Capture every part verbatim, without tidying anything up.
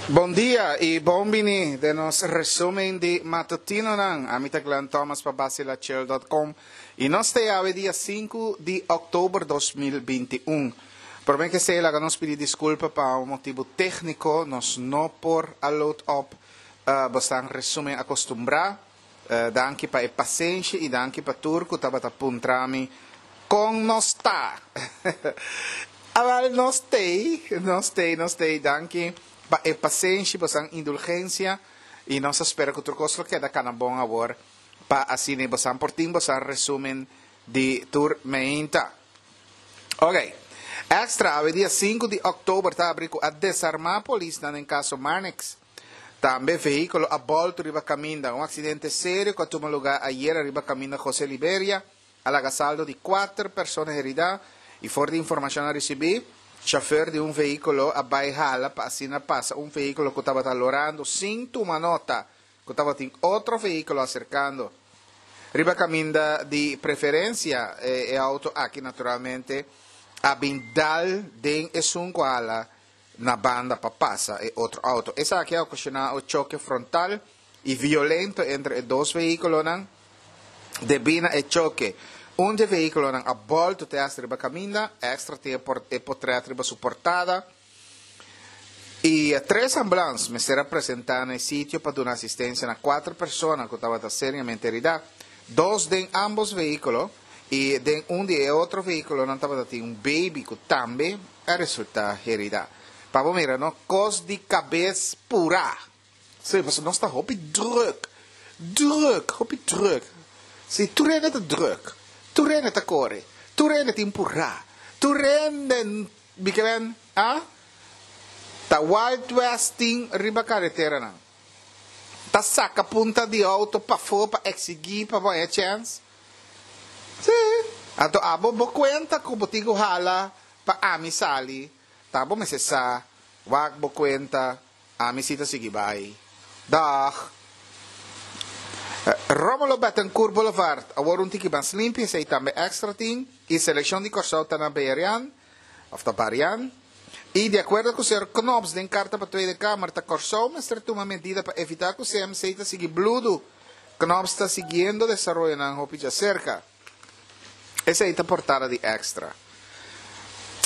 Bon dia i bon bini den nos resumen di matutinonan. Ami ta Glenn Thomas pa Basilachill dot com i nos ta awe dia sinku di òktober dos mil binti un. Promé ke esei laga nos pidi diskulpa pa un motibu tékniko nos no por a load op bosnan resumen akostumbrá. Danki pa e pasenshi i danki pa tur ku tabata puntra mi kon nos ta. Awèl nos t'ei, nos t'ei, nos t'ei. Danki pa e pasenshi, bosan indulgensia i nos a spera ku tur kos lo keda kana bon awor pa asina bosan por tin bosan resumen di tur meinta. Ok. Extra, awe dia sinku di òktober ta abri ku a desarmá polisnan den kaso Marnix. Tambe vehíkulo a bòltu riba kaminda. Un aksidente serio ku a tuma lugá ayera riba kaminda José Liberia a laga saldo di kuater persona heridá i for di informashon a risibí, Chauffeur di un vehículo a bai hala pa asina pasa un vehículo cu tabata lorando sin tuma nota cu tabatin otro vehículo acercando. Riba caminda di preferencia e auto aki naturalmente a bin dal den esun cu a hala na banda pa pasa e otro auto. Esaki a ocasiona un choque frontal y violento entre e dos vehiculonan. Debí na e choke, un dje vehíkulonan a bòltu te hasta riba kaminda, Extra tin e potrèt riba su portada, i tres ambulans mester a presentá na e sitio pa duna asistensia na kuater persona ku tabata seriamente heridá, dos den ámbos vehíkulo i den un di e otro vehíkulonan tabata tin un beibi ku tambe a resultá heridá. Pa bo mira no, kos di kabes purá! Sí, pasobra nos ta hopi drùk, drùk, hopi drùk. Sí, tur hende ta drùk, tur hende ta kore, tur hende tin purá, tur hende, mi ke men, a? Ta Wild West tin riba kareteranan. Ta saka punta di outo pafó pa eksigí pa bo haña chèns. Sí, anto abo bo kuenta ku bo tin ku hala pa ami sali, ta bo mester sa, wak bo kuenta. Ami si ta sigui bai. Dag. Romulo Bettencourt Boulevard, awor un tiki mas limpi, esei tambe extra tin, i selekshon di Kòrsou ta na Berian, òf ta Barian. I di akuerdo ku señor Knops den karta pa Tweede Kamer, ta Kòrsou mester tuma medida pa evitá ku C M C ta sigui bludu. Knops ta siguiendo desaroyonan hopi djaserka. Esei ta portada di Extra.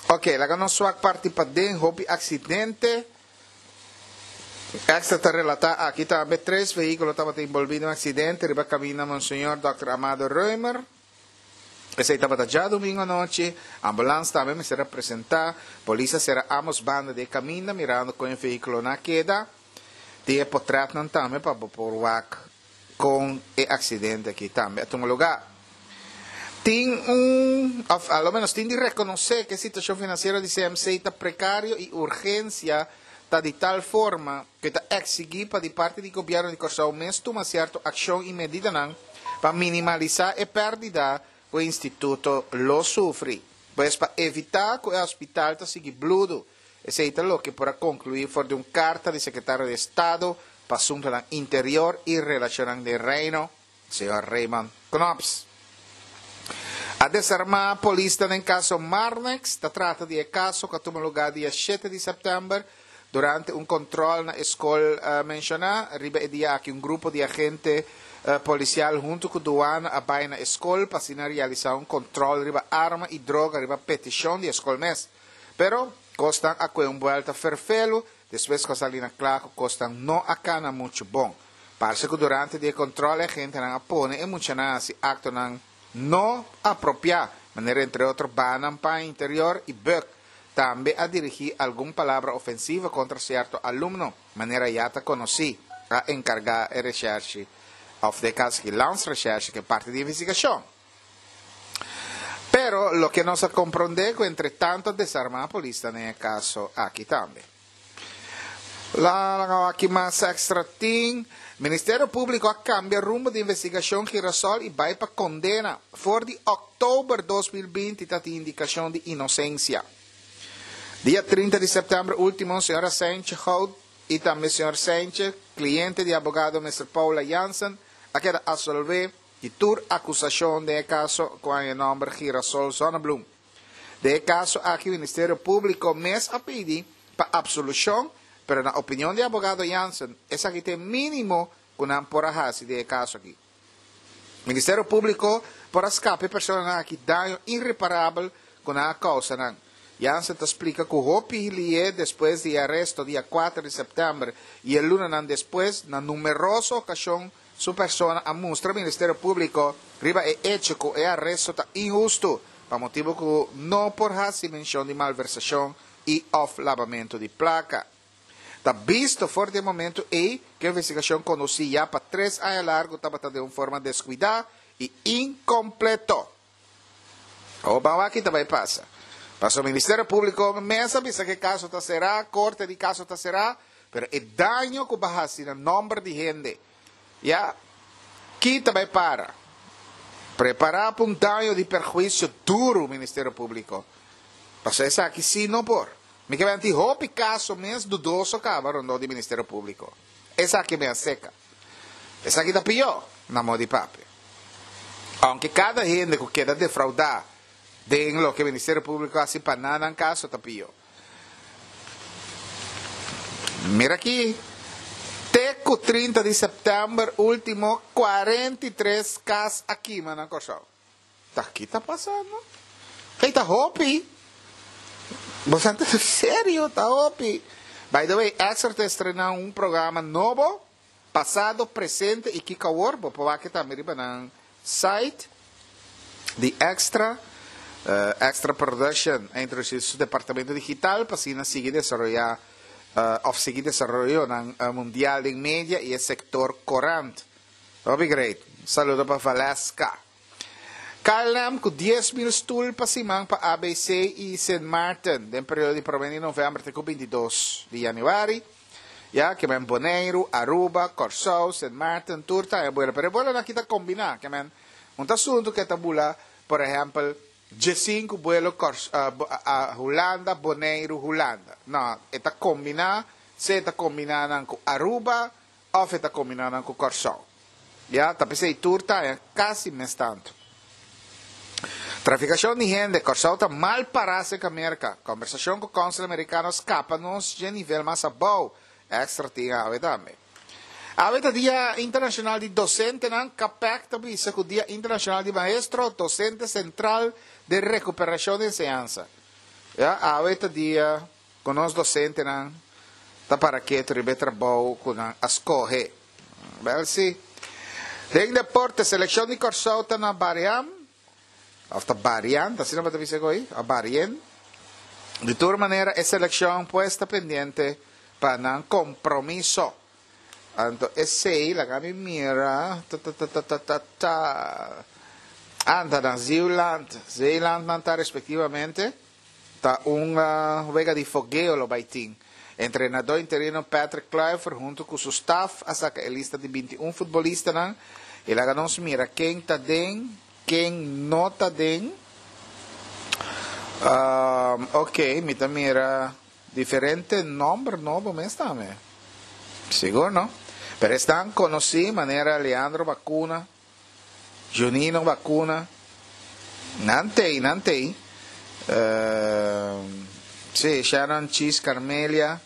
Oke, laga nos swak parti paden, hopi aksidente. Extra ta relatá aki tambe tres vehíkulo tabata inbolbí den un aksidente riba kaminda Monseñor Dòkter Amado Römer. Esei tabata djadumingu anochi. Ambulans tambe mester a presentá. Polis a sera ámbos banda di e kaminda mirando kon e vehíkulonan a keda. Tin e potrètnan tambe pa bo por wak kon e aksidente aki tambe a tuma lugá. Tin un, òf a lo ménos tin di rekonosé ku e situashon finansiero di C M C ta prekario i urgensia ta di tal forma ku e ta eksigí pa di parti di gobièrnu di Kòrsou mes tuma sierto akshon i medidanan pa minimalisá e pèrdida ku e instituto lo sufri. Pues pa evitá ku e hospital ta sigui bludu. Esei ta loke por a konkluí for di un karta di Sekretario di Estado pa Asuntonan Interior i Relashonnan den Reino, señor Raymond Knops. A desarmá polisnan den kaso Marnix. Ta trata di e kaso ku a tuma lugá dia shete di sèptèmber durante un kòntròl na e skol menshoná. Riba e dia aki un grupo di agente polisial huntu ku duana a bai na e skol pa asina realisá un kòntròl riba arma i droga riba petishon di e skol mes. Pero, kosnan a kue un buèlta ferfelu despues ku a sali na kla ku kosnan no a kana muchu bon. Parse ku durante di e kòntròl e agentenan a pone e muchanan hasi aktonan no apropiá, manera entre otro banan paña interior i bùk. Tambe a dirigí algun palabra ofensivo kontra sierto alumno, manera ya ta konosí. A enkargá e reshèrshi òf den e kaso aki Landsrecherche ku e parti di investigashon. Pero loke nos a komprondé ku entre tanto a desarmá polis ta den e kaso aki tambe. Laga wak ki mas extra tin. Ministerio Públiko a kambia rumbo di investigashon Girasol i bai pa kondena. For di òktober dos mil binti ta tin indikashon di inosensia. Dia trinta di sèptèmber último señora Seintje Goud i tambe señor Seintje, kliente di abogado mister Paula Jansen, a keda asolvé di tur akusashon den e kaso ku a haña nòmber Girasol Zonnebloem. Den e kaso aki Ministerio Públiko mes a pidi pa apsolushon Pero na opinion di abogado Jansen, esaki ta e minimo ku nan por a hasi den e kaso aki. Ministerio Públiko por a skapa e personanan aki daño ireparabel ku nan a kousa nan. Jansen ta splika ku hopi lihé despues di e aresto dia kuater di sèptèmber i e lunanan despues, na numeroso okashon su persona a mustra Ministerio Públiko riba e echo ku e aresto ta inhustu pa motibu ku no por hasi menshon di malversashon i òf labamentu di plaka. Ta bisto for di e momentu ei ku e investigashon kondusí ya pa tres aña largu tabata den un forma deskuidá i inkompleto. Awor ban wak ki ta bai pasa. Pasobra Ministerio Públiko mes a bisa ku e kaso ta será, korte di kaso ta será, pero e daño ku bo a hasi na nòmber di hende ya ki ta bai para. Prepará pa un daño di perhuisio duru, Ministerio Públiko. Pasobra esaki sí no por. Mi ke benti hopi kaso mes dudoso kaba rondó di Ministerio Públiko. Esaki mi a seka. Esaki ta pió, na moda di papia. Ounke kada hende ku keda defraudá den loke Ministerio Públiko hasi pa nan nan kaso ta pió. Mira aki, te ku trinta di sèptèmber último kuarenta i tres kas a kima na Kòrsou. Ta ki ta pasando? Hey, ta hopi! Boso ta serio, ta hopi! By the way, Extra ta estrená un programa nobo, Pasado, Presente i Kiko Awor. Bo por wak tambe riba nan site di Extra. Extra Production a introdusí su departamento digital pa asina sigui desaroyá òf sigui desaroyonan mundial den media i e sektor korant. Hopi great. Un saludo pa Valeska. K L M ku dies mil stul pa siman pa A B C i Sint Maarten den periodo di promé di novèmber te ku bintidos di yanüari. Ya, ke men Boneiru, Aruba, Kòrsou, Sint Maarten, tur ta e buelo. Pero e buelonan aki ta kombiná. Ke men un ta asuntu ku e ta bula, por ehèmpel, diesinku buelo Kòrs Hulanda, Boneiru, Hulanda. No, e ta kombiná, sea e ta kombiná nan ku Aruba òf e ta kombiná nan ku Kòrsou. Ya, ta p'esei tur ta kasi mes tantu. Trafikashon di hende, Kòrsou ta mal pará serka Merka. Kombersashon ku kònsel amerikano skapa nos dje nivel mas abou. Extra tin awe tambe. Awe ta Dia Internashonal di Dosentenan. KAPEC ta bisa ku Dia Internashonal di Maestro, Dosente sentral den rekuperashon di enseñansa. Ya, awe ta dia ku nos dosentenan ta para ketu riba e trabou ku nan a skohe. Bèl si. Den deporte, selekshon di Kòrsou ta na Bariam, òf ta Barian, ta asina bo ta bisa ku ei? Òf Barien. Di tur manera e selekshon pues ta pendiente pa nan kompromiso. Anto esei laga mi mira ta ta ta ta ta ta ta anta na Zeeland, Zeeland nan ta respektivamente ta un wega di fogeo lo bai tin. Entrenadó interino Patrick Kluivert huntu ku su staf a saka e lista di binti un futbolistanan i laga nos mira ken ta den, ken no ta den. Oke, mi ta mira. Diferente nomber nobo mes tambe. Sigur no. Pero esnan conoci manera Leandro Bacuna, Junino Bacuna, nan tey, nan tey. Si, Sharon Chis Carmelia,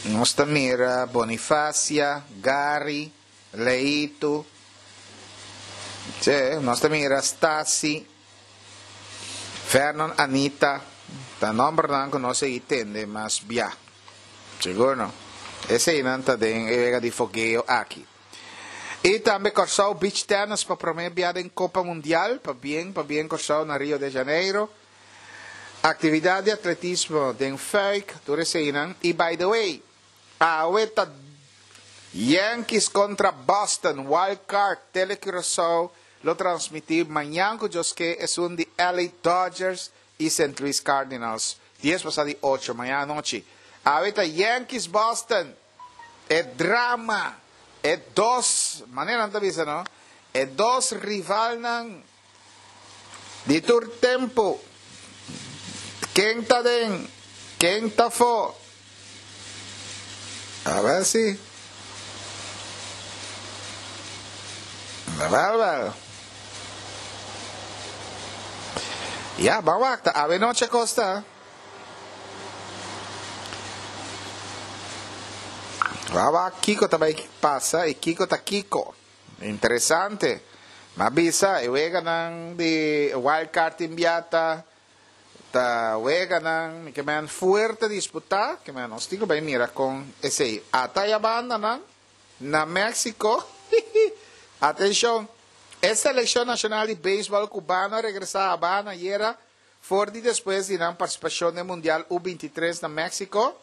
nos ta mira Bonifacia, Gary, Leito, si, nos ta mira Stasi, Vernon Anita, ta nombernan ku no sigui tende mas bia. Sigur no. Eseinan ta den e wega di fogeo aki. I tambe Kòrsou Beach Tennis pa promé bia den Kopa Mundial. Pabien, pabien Kòrsou na Rio de Janeiro. Aktividat di atletismo den Fuik, tur eseinan. I by the way, awe ta Yankees kontra Boston, Wild Card, Tele Curaçao lo transmití mañan ku Dios ke esun di L A Dodgers i Saint Louis Cardinals, dies pasá di ocho mañan anochi. Awe ta Yankees Boston, e drama, e dos, manera nan ta bisa no, e dos rivalnan di tur tempu. Ken ta den, ken ta afó? A ver si. Wel, wel. Ya, ban wakta. Awe noche kosta. Ban wak kiko ta bai pasa i kiko ta kiko. Interesante. M'a bisa, e weganan di wild card inbiata ta weganan ke men fuerte disputá, ke men nos tin ku bai mira kon esei. Ata ya bandanan na Mexico. Atenshon. E selekshon nashonal di beisbòl kubano a regresá Habana ayera for di despues di nan partisipashon den Mundial U bintitres na Mexico.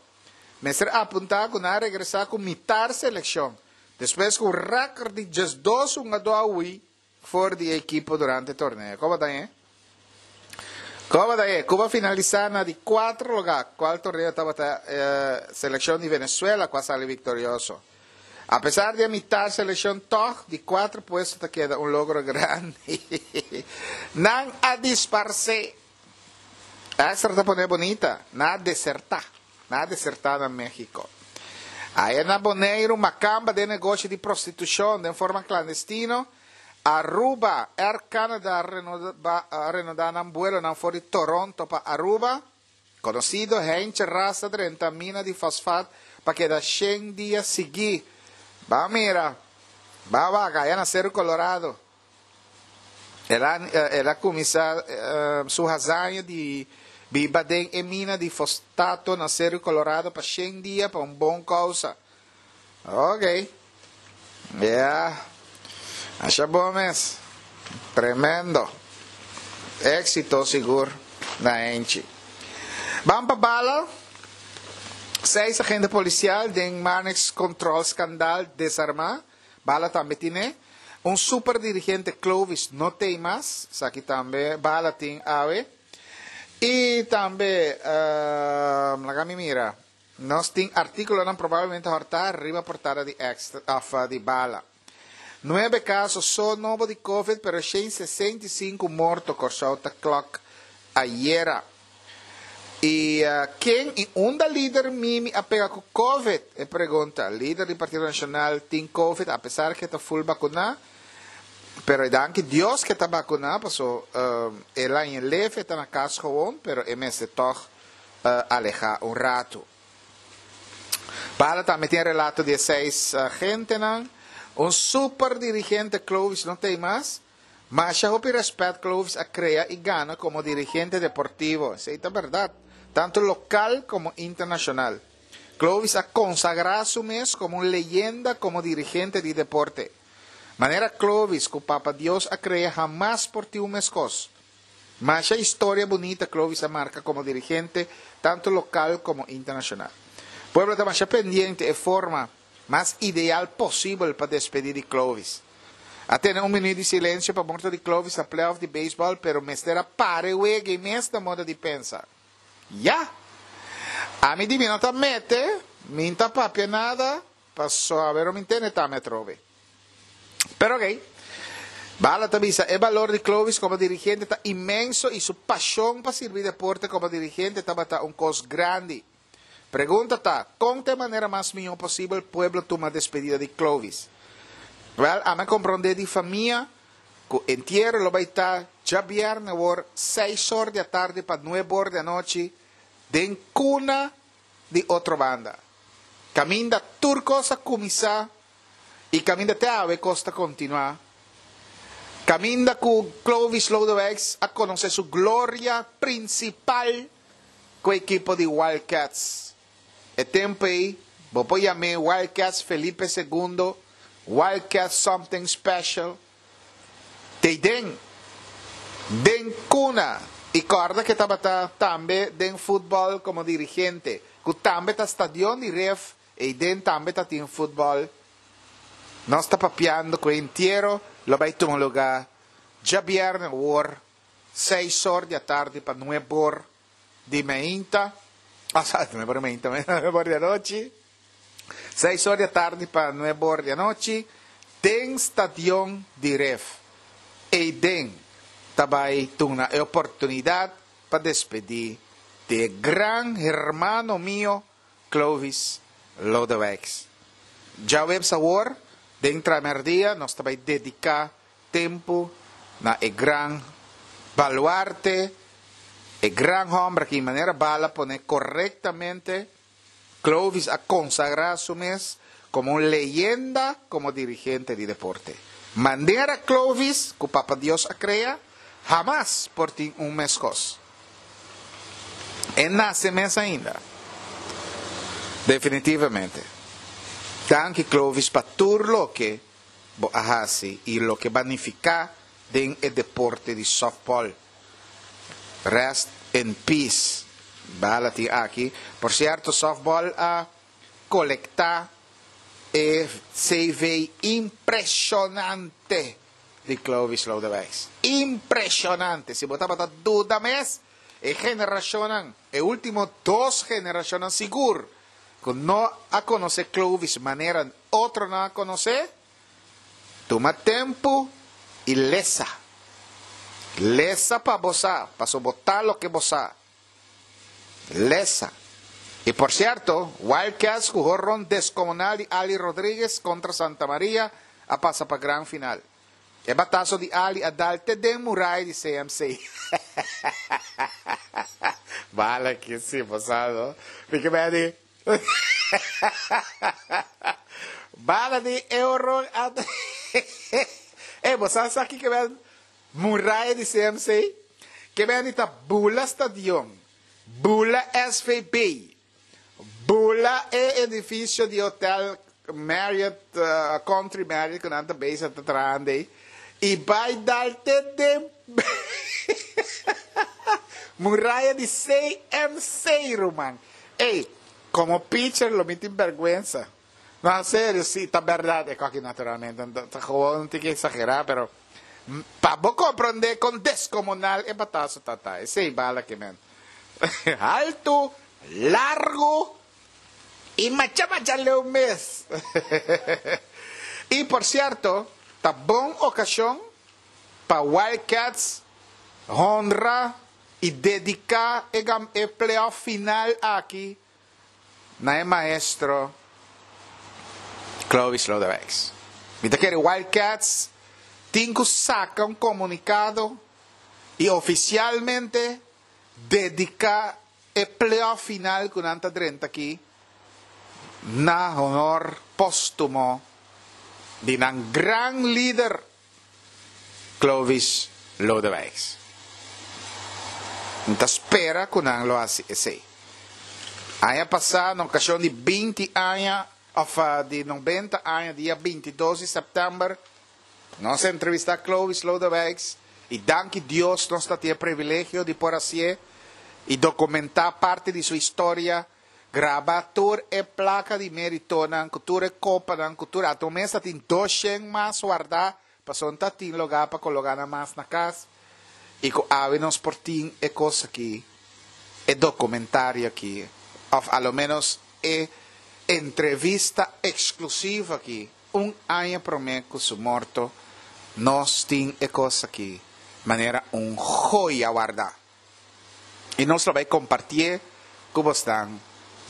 Mester apuntá ku nan a regresá ku mitar selekshon, despues ku un rèkòrt di diesdos hungadó a hui for di e ekipo durante e torneo. Koba ta e? Koba ta e? Cuba a finalisá na di kuater lugá, kual torneo tabata e selekshon di Venezuela ku a sali viktorioso. Apesar di e mitar selekshon tòg di kuater puesto ta keda un logro grandi. Nan a disparsé. Extra ta pone bonita. Nan a desertá. Nan a desertá na Mexico. Aya na Boneiru makamba den negoshi di prostitushon den forma klandestino. Aruba, Air Canada a renodá nan buelonan for di Toronto pa Aruba. Konosido Heintje Ras a drenta mina di fosfat pa keda shen dia sigui. Ba mira, ba wak aya na Seru Colorado. El a el a kuminsá su hazaña di biba den e mina di fostato na Seru Colorado pa shen dia pa un bon kousa. Ok. Ya. Asha bon mes. Tremendo. Éxito sigur na Heintje. Ban pa bala. Seis agente polisial den Marnix Control skandal desarmá. Bala tambe tine. Un super dirigente Clovis no tei mas. Esaki tambe bala tin awe. I tambe, laga mi mira, nos tin artíkulonan probablemente hòrtá riba portada di Extra òf di Bala. Nuebe kaso so nobo di Covid pero shen sesenta i sinku morto Kòrsou ta klòk ayera. I ken i unda lider Mimi a pega ku Covid? E pregunta. Lider di Partido Nashonal tin Covid apesar ke ta ful bakuná. Pero e danki Dios ke ta bakuná paso el a ñe leve ta na kas gewoon pero e mester tòg alehá un ratu. Bala tambe tin e relato di e seis agentenan. Un super dirigente Clovis no t'ei mas. Masha hopi rèspèt Clovis a krea i gana komo dirigente deportivo. Esei ta bèrdat, tantu lokal komo internashonal. Clovis a konsagrá su mes komo un leyenda komo dirigente di deporte. Manera Clovis ku Papa Dios a krea hamas por tin un meskos. Masha historia bunita Clovis a marka komo dirigente tantu lokal komo internashonal. Pueblo ta masha pendiente e forma mas ideal posibel pa despedí di Clovis. A tene un minuut di silensio pa morto di Clovis na playoff di beisbòl pero mester a para e wega i mes na moda di pensa. Ya! Ami di mi no ta mete, mi n'ta papia nada paso awero mi ntende tami atrobe. Pero ok. Bala ta bisa, e balor di Clovis komo dirigente ta inmenso i su pashon pa sirbi deporte komo dirigente tabata un kos grandi. Pregunta ta, kon ta e manera mas mihó posibel pueblo tuma despedida di Clovis? Wèl, ami a komprondé di famia ku entiero lo bai ta djabièrnè awor seis or di atardi pa nuebe or di anochi den kuna di Otrobanda. Kaminda tur kos a kuminsá i kaminda te awe kos ta kontinuá. Kaminda ku Clovis Lodewijks a konosé su gloria prinsipal ku ekipo di Wildcats. E tempu ei bo por yam'é Wildcats Felipe Segundo, Wildcats Something Special. T'ei den, den kuna i kòrda ku e tabata tambe den futbòl komo dirigente, ku tambe ta stadion di Ref, ei den tambe ta tin futbòl. Nos ta papiando ku e entiero lo bai tuma lugá djabièrnè awor seis or di atardi pa nuebe or di meinta, ah, nuebe or di meinta, nuebe or di anochi, seis or di atardi pa nuebe or di anochi, den stadion di Ref. Eiden ta bai tuna e oportunidat pa despedí di e gran hermano mio Clovis Lodewijks. Djaweps awor, den tramerdia, nos ta bai dediká tempu na e gran baluarte, e gran hòmber ki manera bala pone korektamente, Clovis a konsagrá su mes Komo un leyenda komo dirigente di deporte. Manera Clovis, ku Papa Dios a krea, hamas por tin un meskos. E nase mes ainda. Definitivamente. Danki, Clovis, pa tur loke bo a hasi i loke bo a nifiká den e deporte di softball. Rest in peace. Bala tin aki. Por sierto, softball a kolektá e C V impreshonante di Clovis Lodewijks. Impreshonante. Si bo tabata duda mes, e generashon, e último dos generashon sigur, ku no a konosé Clovis manera otro no a konosé, tuma tempu i lesa. Lesa pa bo sa, pa bo loke bo sa. Lesa. I por sierto, Wildcats ku honron deskomunal di Ali Rodriguez kontra Santa Maria a pasa pa gran final. E bataso di Ali a dal te den muraya di C M C. Bala ku si, pasado. Fica bem. Bala di euro. Eh, bo sa kiko ta muraya di C M C? Ke men ta bula stadion, bula S V B, bula e edifisio di hotel Marriott, uh, Country Marriott, ku nan ta bezig ta trahando i bai dal te den muraya di C M C, ruman. Ei, komo pitcher lo mi tin bèrgwensa. No, en serio, si, ta bèrdat. E aki naturalmente, ta gewoon tin ku eksagerá, pero pa bo komprondé kon deskomunal e bataso tabata. Esei bala ke men. Altu, largu i masha masha leu mes. I por sierto, ta bon okashon pa Wildcats honra i dediká e, e playoff final aki na maestro Clovis Lodewijks. Mi ta kere Wildcats tin ku saka un komunikado i ofisialmente dediká e playoff final ku nan ta drenta aki na honor póstumo di un gran lider, Clovis Lodewijks. Anto spera ku nan lo hasi esei. Aña pasá, na okashon di binti aña, òf di nobenta aña, dia bintidos di sèptèmber, nos a entrevistá Clovis Lodewijks i danki Dios nos tabatin e privilegio di por hasi i dokumentá parti di su historia, graba tur e plaka di méritonan, ku tur e kopanan, ku tur e mes tin dos mas wardá, pasobra tabatin lugá pa koloká nan mas na kas. I ku awe nos por tin e kos aki, e dokumentario aki, òf a lo menos e entrevista eksklusivo aki, un aña promé ku su morto, nos tin e kos aki, manera un joya wardá. I nos lo bai kompartí ku boso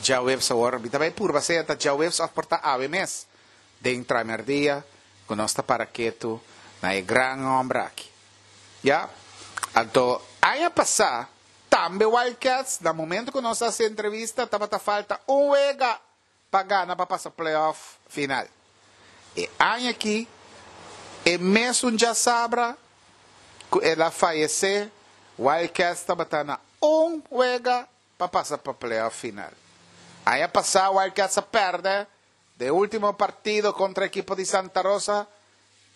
djaweps awor, tambe por ser ta djaweps òf por ta awe mes, den tramerdia, ku nos ta para ketu na e gran hòmber aki. Ya? Anto, aña pasá, tambe Wildcats, na momento ku nos a hasi entrevista, tabata falta un wega pa gana pa pasa playoff final. E aña aki, e mesun djasabra, ku el a fayesé, Wildcats tabata na un wega pa pasa pa playoff final. Aña pasá Wildcats a pèrdè e último partido kontra e ekipo di Santa Rosa,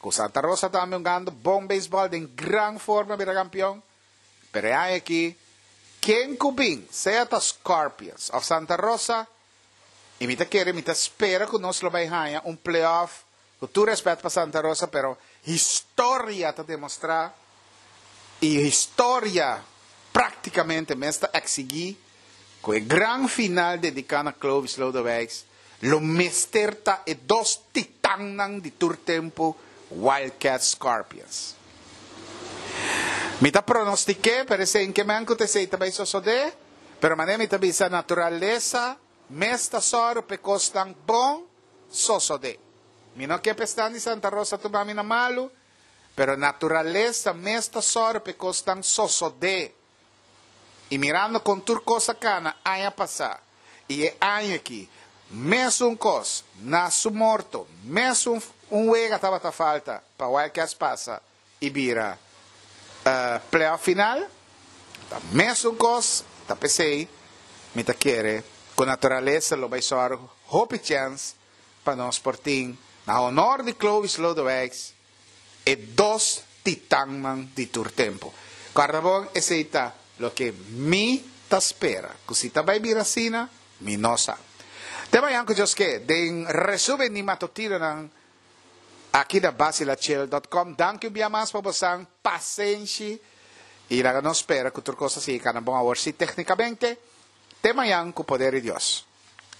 ku Santa Rosa tambe hungando bon beisbòl, den gran forma, bira kampeon. Pero aki, ken ku bin, sea ta Scorpions òf Santa Rosa, i mi ta kere, mi ta spera ku nos lo bai haña un playoff, ku tur rèspèt pa Santa Rosa, pero historia ta demostrá, i historia práktikamente mes ta eksigí ku e gran final dediká na Clovis Lodewijks, lo mester ta e dos titannan di tur tempu, Wildcat, Scorpions. Mi ta pronostiká, pero esei ke men ku esei tambe sosodé, pero manera mi ta bisa, naturalesa mes ta sòru p'e kosnan bon sosodé. Mi no ke pa esnan di Santa Rosa tuma mi na malu, pero naturalesa mes ta sòru p'e kosnan sosodé. I mirando kon tur kos a kana aña pasá i e aña aki, Mesun kos, na su morto, mesun un wega tabata falta pa Wildcats pasa i bira uh, playoff final. Ta mesun kos, ta p'esei, mi ta kere, ku naturalesa lo bai sòru hopi chèns pa nos por tin na honor di Clovis Lodewijks e dos titannan di tur tempu. Kòrda bon, esei ta loke mi ta spera. Ku si ta bai bira asina, mi no sa. Te mañan ku Dios ke, den resumen di matutinonan aki na basilachel punto com. Danki un bia mas pa boso pasenshi i laga nos spera ku tur kos a sigui kana bon awor si téknikamente. Te mañan ku poder di Dios.